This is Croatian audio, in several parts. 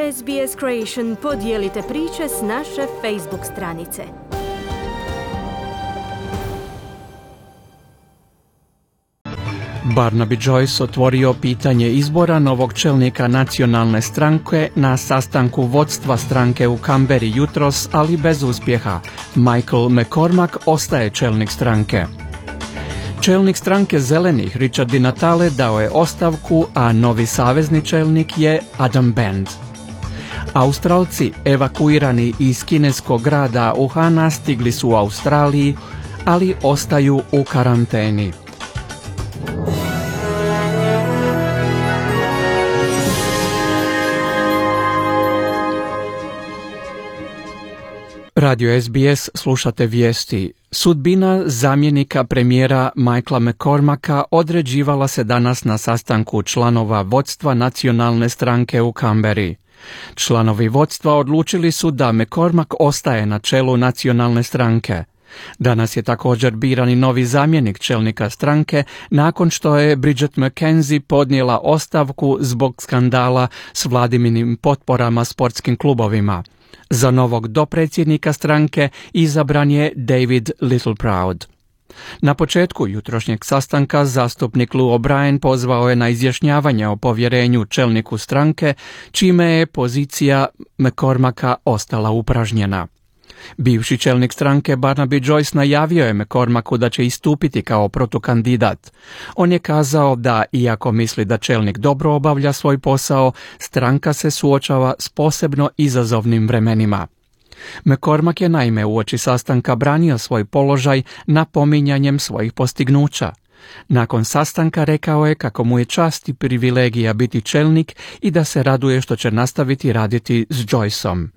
SBS Creation podijelite priče s naše Facebook stranice. Barnaby Joyce otvorio pitanje izbora novog čelnika nacionalne stranke na sastanku vodstva stranke u Canberri jutros, ali bez uspjeha. Michael McCormack ostaje čelnik stranke. Čelnik stranke Zelenih Richard Di Natale dao je ostavku, a novi savezni čelnik je Adam Bend. Australci evakuirani iz kineskog grada Wuhana stigli su u Australiji, ali ostaju u karanteni. Radio SBS, slušate vijesti. Sudbina zamjenika premijera Michaela McCormacka određivala se danas na sastanku članova vodstva nacionalne stranke u Canberri. Članovi vodstva odlučili su da McCormack ostaje na čelu nacionalne stranke. Danas je također biran i novi zamjenik čelnika stranke nakon što je Bridget McKenzie podnijela ostavku zbog skandala s Vladiminim potporama sportskim klubovima. Za novog dopredsjednika stranke izabran je David Littleproud. Na početku jutrošnjeg sastanka zastupnik Lou O'Brien pozvao je na izjašnjavanje o povjerenju čelniku stranke, čime je pozicija McCormacka ostala upražnjena. Bivši čelnik stranke Barnaby Joyce najavio je McCormacku da će istupiti kao protukandidat. On je kazao da, iako misli da čelnik dobro obavlja svoj posao, stranka se suočava s posebno izazovnim vremenima. McCormack je naime uoči sastanka branio svoj položaj napominjanjem svojih postignuća. Nakon sastanka rekao je kako mu je čast i privilegija biti čelnik i da se raduje što će nastaviti raditi s Joyceom.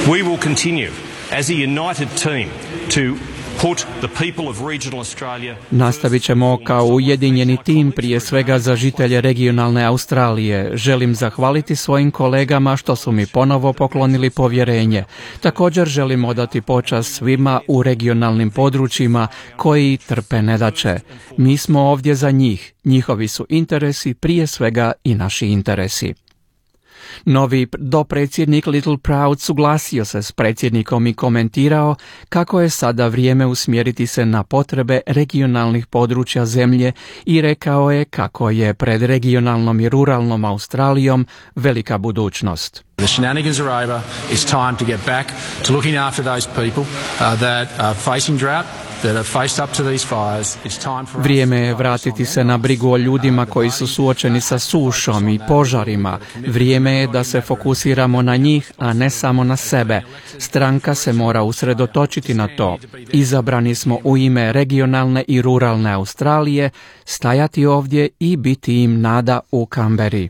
We will continue as a united team to put the people of regional Australia. Nastavit ćemo kao ujedinjeni tim, prije svega za žitelje regionalne Australije. Želim zahvaliti svojim kolegama što su mi ponovo poklonili povjerenje. Također želim odati počast svima u regionalnim područjima koji trpe nedaće. Mi smo ovdje za njih. Njihovi su interesi prije svega i naši interesi. Novi dopredsjednik Littleproud suglasio se s predsjednikom i komentirao kako je sada vrijeme usmjeriti se na potrebe regionalnih područja zemlje i rekao je kako je pred regionalnom i ruralnom Australijom velika budućnost. The shenanigans are over. It's time to get back to looking after those people that are facing drought. Vrijeme je vratiti se na brigu o ljudima koji su suočeni sa sušom i požarima. Vrijeme je da se fokusiramo na njih, a ne samo na sebe. Stranka se mora usredotočiti na to. Izabrani smo u ime regionalne i ruralne Australije, stajati ovdje i biti im nada u Canberri.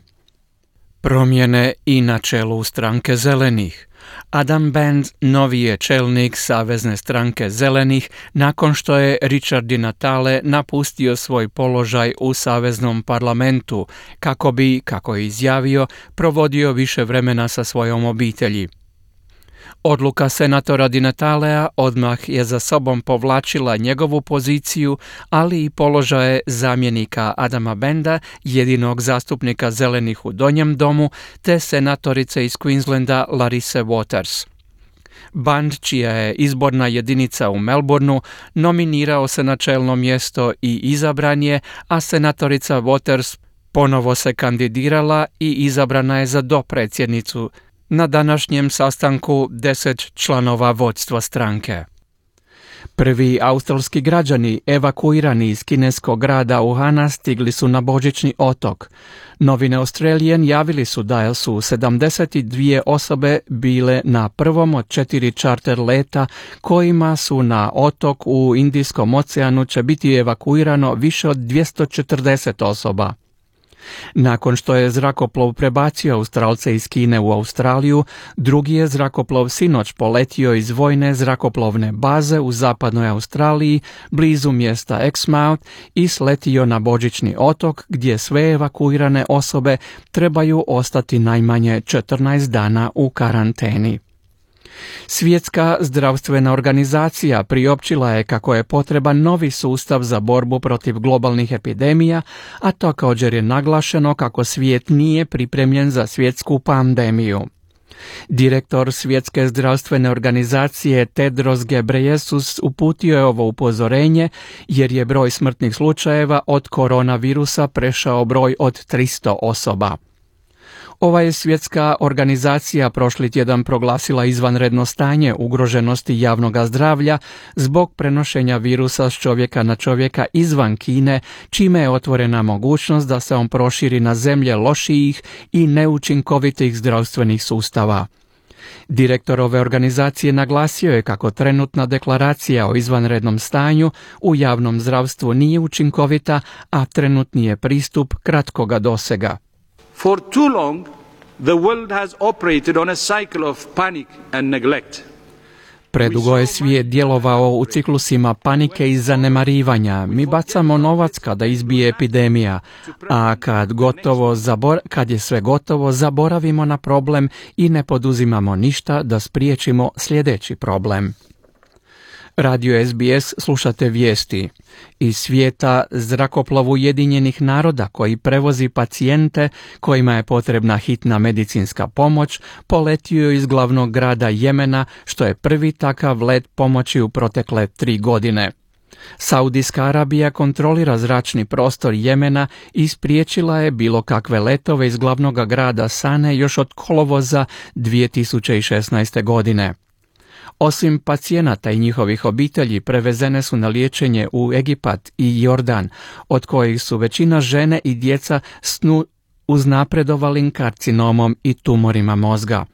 Promjene i na čelu stranke Zelenih. Adam Bend novi je čelnik savezne stranke Zelenih nakon što je Richard Di Natale napustio svoj položaj u saveznom parlamentu kako bi, kako je izjavio, provodio više vremena sa svojom obitelji. Odluka senatora Di Natalea odmah je za sobom povlačila njegovu poziciju, ali i položaje zamjenika Adama Benda, jedinog zastupnika Zelenih u Donjem domu, te senatorice iz Queenslanda Larisse Waters. Band, čija je izborna jedinica u Melbourneu, nominirao se na čelno mjesto i izabran je, a senatorica Waters ponovo se kandidirala i izabrana je za dopredsjednicu na današnjem sastanku 10 članova vodstva stranke. Prvi australski građani evakuirani iz kineskog grada Wuhana stigli su na Božićni otok. Novine Australian javili su da su 72 osobe bile na prvom od 4 čarter leta kojima su na otok u Indijskom oceanu će biti evakuirano više od 240 osoba. Nakon što je zrakoplov prebacio Australce iz Kine u Australiju, drugi je zrakoplov sinoć poletio iz vojne zrakoplovne baze u zapadnoj Australiji, blizu mjesta Exmouth, i sletio na Božićni otok, gdje sve evakuirane osobe trebaju ostati najmanje 14 dana u karanteni. Svjetska zdravstvena organizacija priopćila je kako je potreban novi sustav za borbu protiv globalnih epidemija, a također je naglašeno kako svijet nije pripremljen za svjetsku pandemiju. Direktor Svjetske zdravstvene organizacije Tedros Ghebreyesus uputio je ovo upozorenje jer je broj smrtnih slučajeva od koronavirusa prešao broj od 300 osoba. Ova je svjetska organizacija prošli tjedan proglasila izvanredno stanje ugroženosti javnog zdravlja zbog prenošenja virusa s čovjeka na čovjeka izvan Kine, čime je otvorena mogućnost da se on proširi na zemlje lošijih i neučinkovitih zdravstvenih sustava. Direktor ove organizacije naglasio je kako trenutna deklaracija o izvanrednom stanju u javnom zdravstvu nije učinkovita, a trenutni je pristup kratkoga dosega. For too long, the world has operated on a cycle of panic and neglect. Predugo je svijet djelovao u ciklusima panike i zanemarivanja. Mi bacamo novac kada izbije epidemija, a kad je sve gotovo, zaboravimo na problem i ne poduzimamo ništa da spriječimo sljedeći problem. Radio SBS slušate vijesti. Iz svijeta zrakoplov Ujedinjenih naroda koji prevozi pacijente kojima je potrebna hitna medicinska pomoć poletio je iz glavnog grada Jemena, što je prvi takav let pomoći u protekle 3 godine. Saudijska Arabija kontrolira zračni prostor Jemena i spriječila je bilo kakve letove iz glavnog grada Sane još od kolovoza 2016. godine. Osim pacijenata i njihovih obitelji, prevezene su na liječenje u Egipat i Jordan, od kojih su većina žene i djeca s uznapredovalim karcinomom i tumorima mozga.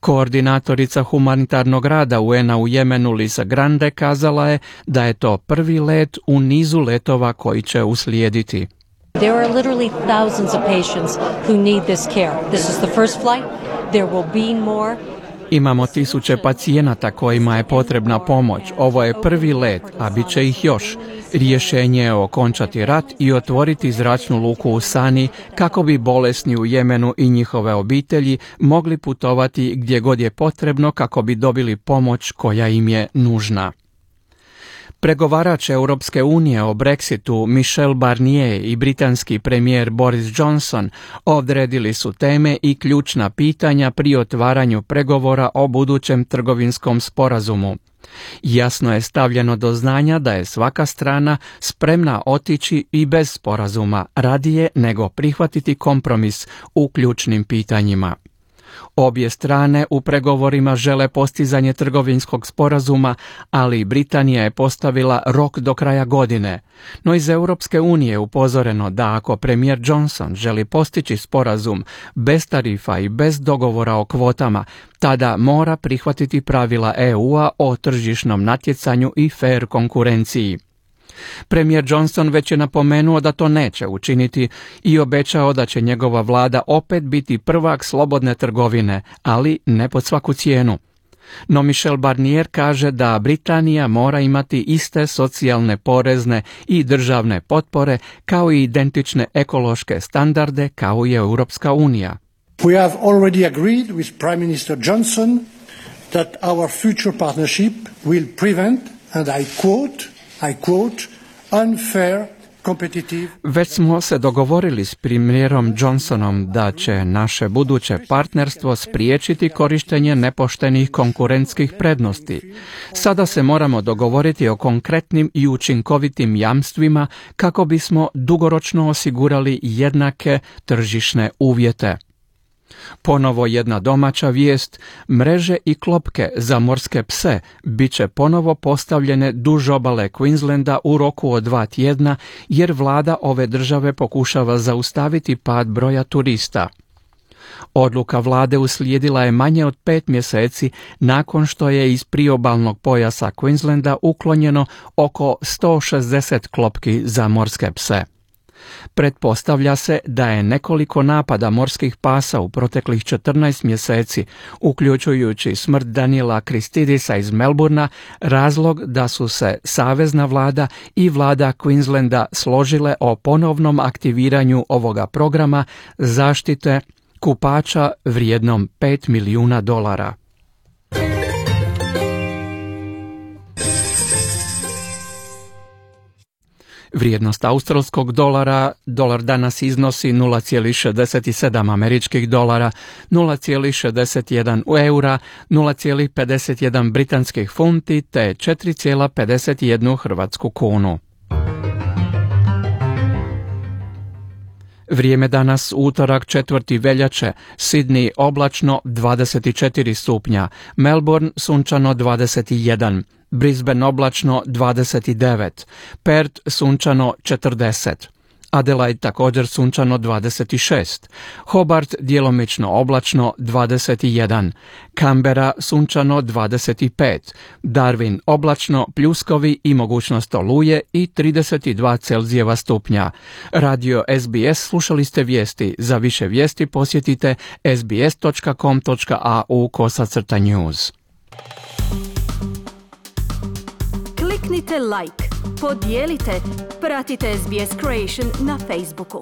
Koordinatorica humanitarnog rada UN-a u Jemenu Lisa Grande kazala je da je to prvi let u nizu letova koji će uslijediti. There are literally thousands of patients who need this care. This is the first flight. There will be more. Imamo tisuće pacijenata kojima je potrebna pomoć. Ovo je prvi let, a bit će ih još. Rješenje je okončati rat i otvoriti zračnu luku u Sani kako bi bolesni u Jemenu i njihove obitelji mogli putovati gdje god je potrebno kako bi dobili pomoć koja im je nužna. Pregovarač Europske unije o Brexitu Michel Barnier i britanski premijer Boris Johnson odredili su teme i ključna pitanja pri otvaranju pregovora o budućem trgovinskom sporazumu. Jasno je stavljeno do znanja da je svaka strana spremna otići i bez sporazuma, radije nego prihvatiti kompromis u ključnim pitanjima. Obje strane u pregovorima žele postizanje trgovinskog sporazuma, ali Britanija je postavila rok do kraja godine. No iz Europske unije je upozoreno da ako premijer Johnson želi postići sporazum bez tarifa i bez dogovora o kvotama, tada mora prihvatiti pravila EU-a o tržišnom natjecanju i fer konkurenciji. Premijer Johnson već je napomenuo da to neće učiniti i obećao da će njegova vlada opet biti prvak slobodne trgovine, ali ne pod svaku cijenu. No Michel Barnier kaže da Britanija mora imati iste socijalne, porezne i državne potpore kao i identične ekološke standarde kao i Europska unija. We have already agreed with Prime Minister Johnson that our future partnership will prevent, and I quote, unfair competitive. Već smo se dogovorili s premijerom Johnsonom da će naše buduće partnerstvo spriječiti korištenje nepoštenih konkurentskih prednosti. Sada se moramo dogovoriti o konkretnim i učinkovitim jamstvima kako bismo dugoročno osigurali jednake tržišne uvjete. Ponovo jedna domaća vijest, mreže i klopke za morske pse bit će ponovo postavljene duž obale Queenslanda u roku od 2 tjedna jer vlada ove države pokušava zaustaviti pad broja turista. Odluka vlade uslijedila je manje od 5 mjeseci nakon što je iz priobalnog pojasa Queenslanda uklonjeno oko 160 klopki za morske pse. Pretpostavlja se da je nekoliko napada morskih pasa u proteklih 14 mjeseci, uključujući smrt Daniela Christidisa iz Melbourna, razlog da su se savezna vlada i vlada Queenslanda složile o ponovnom aktiviranju ovoga programa zaštite kupača vrijednom $5 milijuna. Vrijednost australskog dolara, dolar danas iznosi 0,67 američkih dolara, 0,61 eura, 0,51 britanskih funti te 4,51 hrvatsku kunu. Vrijeme danas utorak 4. veljače, Sydney oblačno 24 stupnja, Melbourne sunčano 21, Brisbane oblačno 29, Perth sunčano 40, Adelaide također sunčano 26, Hobart djelomično oblačno 21, Canberra sunčano 25, Darwin oblačno, pljuskovi i mogućnost oluje i 32 Celzijeva stupnja. Radio SBS slušali ste vijesti. Za više vijesti posjetite sbs.com.au/news. Kliknite like, podijelite, pratite SBS Creation na Facebooku.